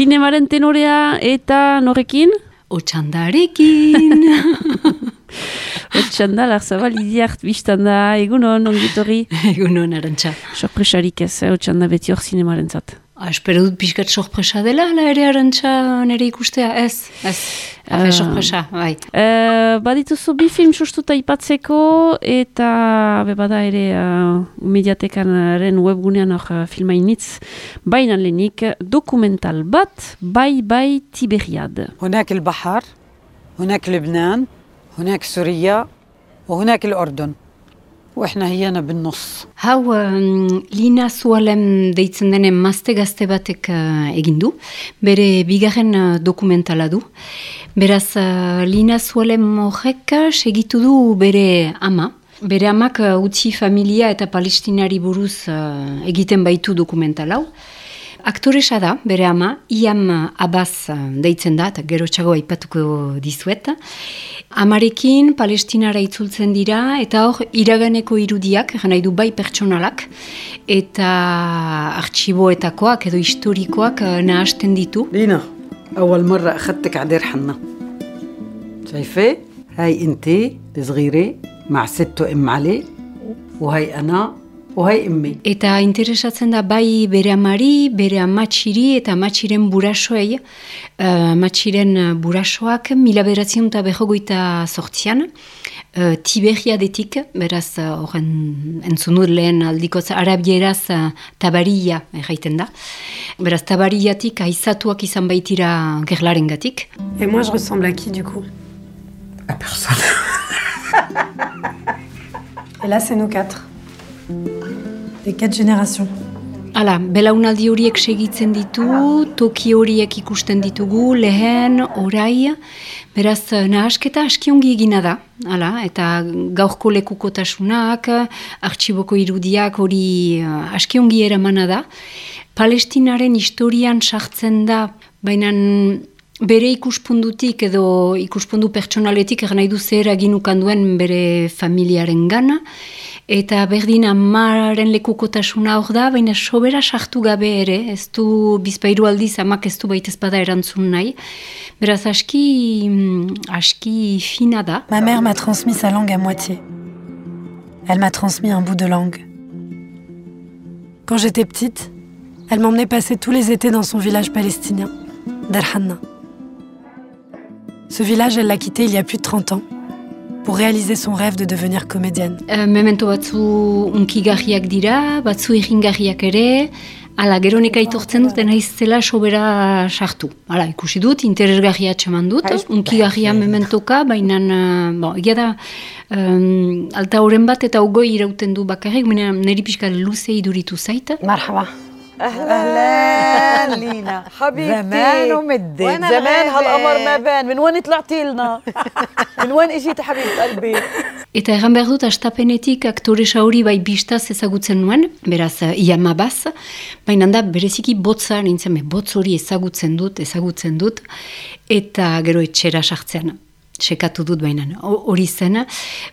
Zinemaren tenorea eta norekin? Otxandarekin. Otxanda, Larzabal, Idiart, biztan da, egunon, ongitorri? Egunon, Arantxa. Sorpresarik ez, Otxanda beti hor zinemaren zat. Espero dut pixkat sorpresa dela, ala ere Arantxa nire ikustea, ez. Sorpresa, bai. Badituzu bi film sustuta ipatzeko, eta bada ere mediatekanaren webgunean hor filmainitz, baina lehenik dokumental bat, bai Tiberiad. هناك البحر، هناك لبنان، هناك سوريا، وهناك الأردن. وإحنا هينا بالنص. Hau Lina Zualem deitzen denen mazte gazte batek egin du, bere bigarren dokumentala du. Beraz, Lina Zualem horrek segitu du bere ama. Bere amak utzi familia eta palestinari buruz egiten baitu dokumental hau. Aktoresa da, bere ama, Iam Abbas deitzen da, eta gero txago aipatuko dizuet. Amarekin palestinara itzultzen dira, eta hor iraganeko irudiak, nahi du bai pertsonalak, eta artxiboetakoak edo historikoak nahasten ditu. لينا أول مرة أخذتك على دير حنا. شايفة؟ هاي أنتي الصغيرة مع ست وأم علي، وهي أنا وهي أمي. Eta interesatzen da bai bere amari, bere amatxiri eta amatxiren burasoei. Amatxiren burasoak 1948an, Tiberiadetik, beraz horren entzun dut lehen aldikoz arabieraz tabaria erraiten da. Beraz tabariatik aizatuak izan baitira gerlarengatik. Et moi je ressemble à qui du coup? À personne. Et là c'est nous quatre. Les 4 générations. Hala, belaunaldi horiek segitzen ditu, toki horiek ikusten ditugu, lehen, orai, beraz nahasketa askiongi egina da, hala, eta gaurko lekukotasunak, artxiboko irudiak hori askiongi eramana da. Palestinaren historian sartzen da, baina bere ikuspundutik edo ikuspundu pertsonaletik nahi du zer aginukan duen bere familiaren gana, eta berdin amaren lekukotasuna hor da, baina sobera sartu gabe ere, ez du bizpairu aldiz amak ez du baitez bada erantzun nahi. Beraz aski fina da. Ma mère m'a transmis sa langue à moitié. Elle m'a transmis un bout de langue. Quand j'étais petite, elle m'emmenait passer tous les étés dans son village palestinien, Dar Hanna. Ce village, elle l'a quitté il y a plus de 30 ans. Pour réaliser son rêve de devenir comédienne. Memento batzu unkigarriak dira, batzu irringarriak ere, ala gero neka itortzen dut, naizela sobera sartu. Hala, ikusi dut, interesgarria atxeman dut, unkigarria mementoka, baina, egia da, alta horren bat eta ogoi irauten du bakarrik, niri pixka luze iduritu zait. Marhaba. أهلا لينا حبيبتي زمان ومدت زمان هالقمر ما بان من وين طلعتي لنا من وين اجيتي حبيبة قلبي. Eta erran behar dut, astapenetik aktoresa hori bai bistaz ezagutzen nuen, beraz Iam Abbas, baina da bereziki botza nintzen, botz hori ezagutzen dut, eta gero etxera sartzen. Sekatu dut baina, hori zen.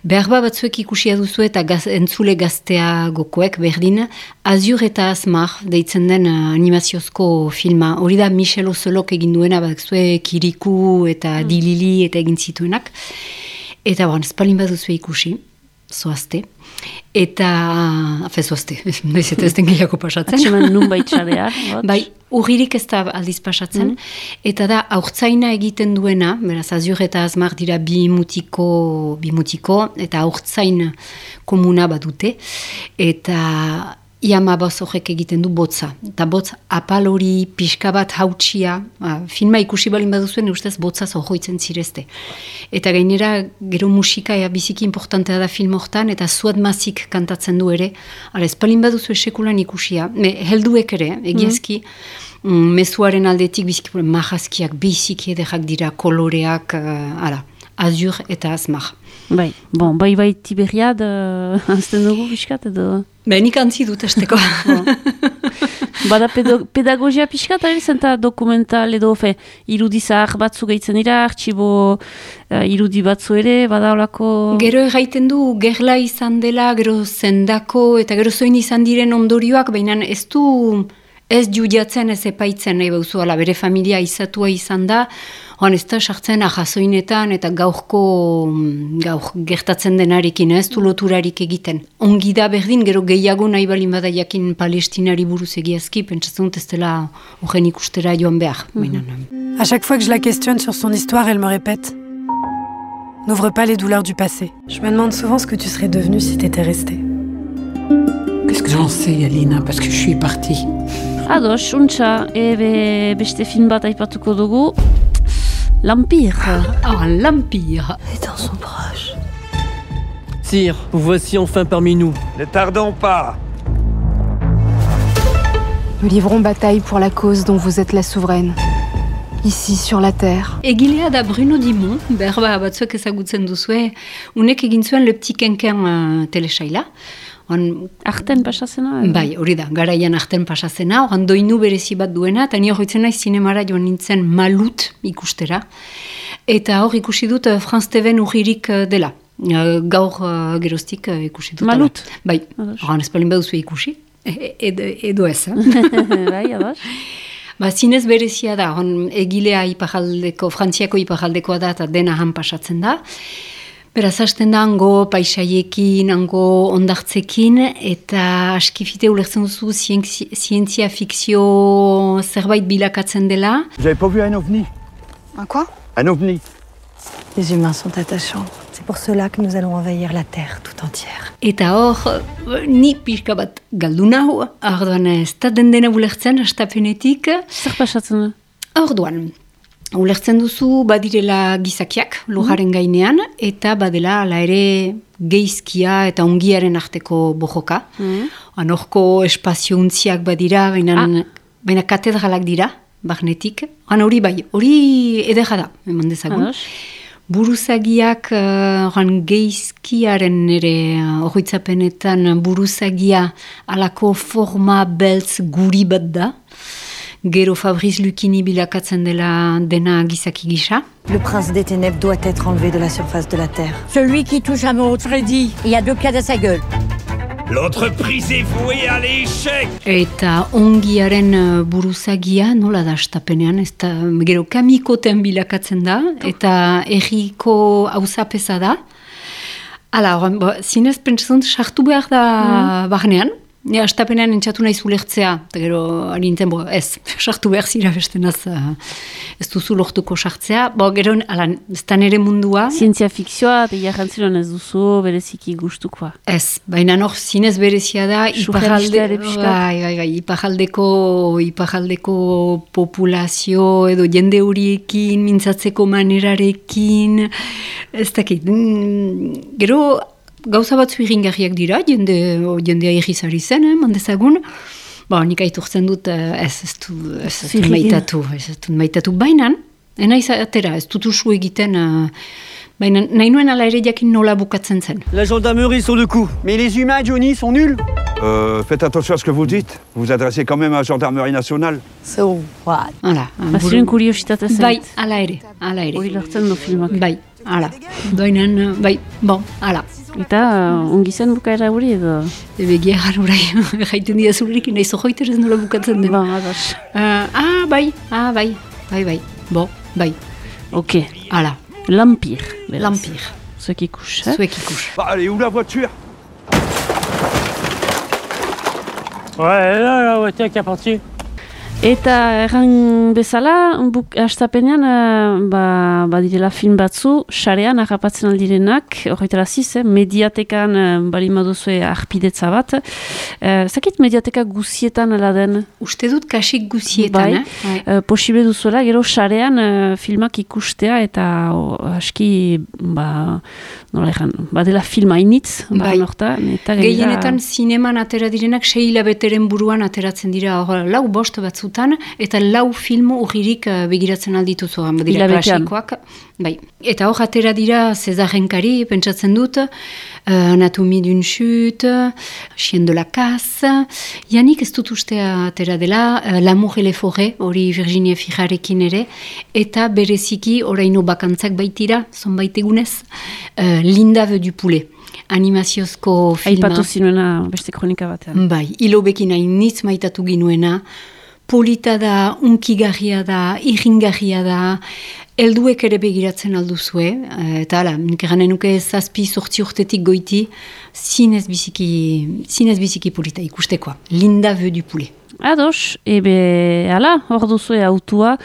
Behar batzuek ikusia duzu eta entzule gaztea gokoek berdin, Azur eta Azmar deitzen den animaziozko filma. Hori da Michel Ozelok egin duena, batzue Kiriku eta Dilili eta egin zituenak. Eta espalin baduzu ikusi, zoazte. Eta, zoazte, noiz eta ez den gehiago pasatzen. Atxeman nun baitxarea. Bai, urririk ez da aldiz pasatzen. Eta da, aurtzaina egiten duena, beraz, Azur eta Azmar dira bi mutiko, eta aurtzain komuna badute. Eta Iam Abbas horrek egiten du botza. Eta botz apal hori pixka bat hautsia, filma ikusi balin baduzuen, ustez botzaz horroitzen zirezte. Eta gainera, gero musika biziki importantea da film hortan, eta Zuad Mazik kantatzen du ere. Hala, ez balin baduzu esekulan ikusia. Helduek ere, egiezki, mezuaren aldetik biziki mahazkiak, biziki edekak dira, koloreak, Azur eta Azmar. Bai, bai Tiberiad, azten dugu biskat edo? Nik antzi dut esteko. Bada pedagogia pixka, eta zenta dokumental edo, irudizar batzu gehitzen dira, artxibo irudi batzu ere, bada olako... Gero erraiten du, gerla izan dela, gero zendako, eta gero zoin izan diren ondorioak, baina ez judiatzen, ez epaitzen, nahi bauzu, bere familia izatua izan da, ez da sartzen ahazoinetan eta gaur gertatzen denarekin, ez du loturarik egiten. Ongi da berdin, gero gehiago nahi balin bada jakin Palestinari buruz egiazki, pentsatzen dut ez dela horren ikustera joan behar. À chaque fois que je la questionne sur son histoire, elle me répète « N'ouvre pas les douleurs du passé. Je me demande souvent ce que tu serais devenue si t'étais restée. » Qu'est-ce que j'en sais, Alina, parce que je suis partie. Ados, untxa, beste film bat aipatuko dugu, L'Empire. L'Empire. Les temps sont proches. Sire, vous voici enfin parmi nous. Ne tardons pas. Nous livrons bataille pour la cause dont vous êtes la souveraine. Ici, sur la terre. Egilea da Bruno Dimon, berba batzuek ezagutzen duzue, unek egin zuen Le Petit Quinquin telesaila. Arten pasazena? Bai, hori da, garaian arten pasazena, oran doinu berezi bat duena, eta ni horretzen naiz zinemara joan nintzen Malut ikustera. Eta hor ikusi dut Franz Teven urririk dela. Gaur geroztik ikusi dut. Malut? Bai, oran espalin baduzu ikusi, edo ez. Bai, ados. Zinez berezia da, egilea Frantziako iparaldekoa da, eta dena han pasatzen da. Beraz, hasten da, hango paisaiekin, hango ondartzekin, eta askifite ulertzen duzu zientzia fikzio zerbait bilakatzen dela. Vous avez pas vu un ovni? Un quoi? Un ovni. Les humains sont attachants. C'est pour cela que nous allons envahir la Terre tout entière. Eta hor, ni pixka bat galdu nahu, orduan ez da dena ulertzen, astapenetik. Zer pasatzen du? Orduan, ulertzen duzu badirela gizakiak lujaren gainean, eta badela ala ere geizkia eta ongiaren arteko bojoka. Horko espaziontziak badira, baina katedralak dira, barnetik. Hori bai, hori edera da, eman dezagun. Buruzagiak, geizkiaren ere horretzapenetan buruzagia alako forma beltz guri bat da. Gero Fabrice Lucchini bilakatzen dela dena gizaki gisa. Le prince des ténèbres doit être enlevé de la surface de la Terre. Celui qui touche à mon Freddy, il y a 2 pieds à sa gueule. L'entreprise est vouée à l'échec. Eta ongiaren buruzagia, nola da astapenean, ez da, gero kamikoten bilakatzen da, eta erriko hauzapeza da. Hala, zinez pentsatzen sartu behar da barnean. Astapenean entzatu nahi zulertzea, eta gero harintzen, ez, sartu behar zira bestenaz, ez duzu lortuko sartzea. Gero, ez da nere mundua. Zientzia fikzioa, eta jarrantziron ez duzu bereziki gustukoa. Ez, baina hor zinez berezia da, iparaldeko populazio edo jende horiekin, mintzatzeko manerarekin, ez dakit, gero, gauza batzu irringarriak dira, jendea irrizari zen, mandezagun. Nik aitortzen dut, ez dut maitatu. Bainan, enaiz atera, ez dut usu egiten, baina nahi nuen ala ere jakin nola bukatzen zen. La gendarmerie sur le coup. Mais les humains, Johnny, sont nuls. Faites attention à ce que vous dites. Vous vous adressez quand même à la gendarmerie nationale. So what? Baziren kuriositate zen. Bai, ala ere. Hori lortzen du filmak. Bai, ala. Doinen, bai, ala. Eta ongi zen bukaera hori edo? Begia garurai, jaiten dira zurerik, nahi zohoiter ez nola bukatzen den. Ados. Bai. Bai. Ok. Ala. L'Empire. L'Empire. Zuek ikus, Allez, où la voiture? Ouais, la voiture qui est partie. Eta erran bezala, hastapenean, badirela film batzu, sarean harrapatzen aldirenak, horretara ziz, mediatekan balimoduzue arpidetza bat. Zakit mediateka guzietan ala den? Uste dut kasik guzietan, Posible duzuela, gero sarean filmak ikustea eta aski, nola erran, badela film hainitz, gehienetan zineman atera direnak 6 hilabeteren buruan ateratzen dira, lau bost batzu batzutan, eta 4 film urririk begiratzen aldituzu, dira klasikoak. Bai. Eta hor atera dira César Renkari, pentsatzen dut, Anatomie d'une chute, Chien de la casse, janik ez dut ustea atera dela, L'amour et les forêts, hori Virginia Fijarekin ere, eta bereziki oraino bakantzak baitira, zonbait egunez, Linda veut du poulet. Animaziozko filma. Aipatu zinuena beste kronika batean. Bai, hilobekin hainitz maitatu ginuena, polita da, unkigarria da, irringarria da, helduek ere begiratzen alduzue, eta hala, nik eranen nuke 7-8 urtetik goiti, zinez biziki polita ikustekoa. Linda veut du poulet. Ados, hala, hor duzue autua,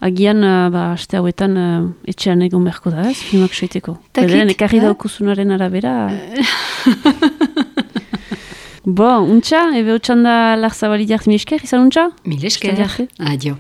agian, aste hauetan etxean egon beharko da, ez, filmak soiteko. Belen, ekarri daukuzunaren arabera. Untxa, otxan da Larzabali diart, mil esker, izan untxa? Mil esker, adio.